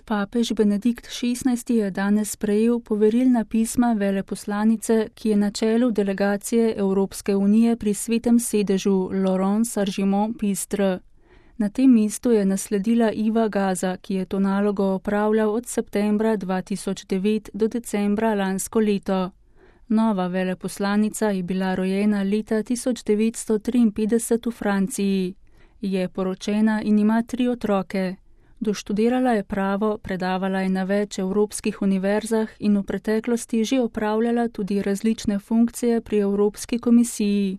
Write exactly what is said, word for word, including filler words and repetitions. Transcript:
Papež Benedikt šestnajsti je danes sprejel poverilna pisma veleposlanice, ki je na čelu delegacije Evropske unije pri Svetem sedežu Laurence Argimon-Pistre. Na tem mestu je nasledila Iva Gaza, ki je to nalogo opravljal od septembra dva tisoč devet do decembra lansko leto. Nova veleposlanica je bila rojena leta tisoč devetsto triinpetdeset v Franciji. Je poročena in ima tri otroke. Doštudirala je pravo, predavala je na več evropskih univerzah in v preteklosti že opravljala tudi različne funkcije pri Evropski komisiji.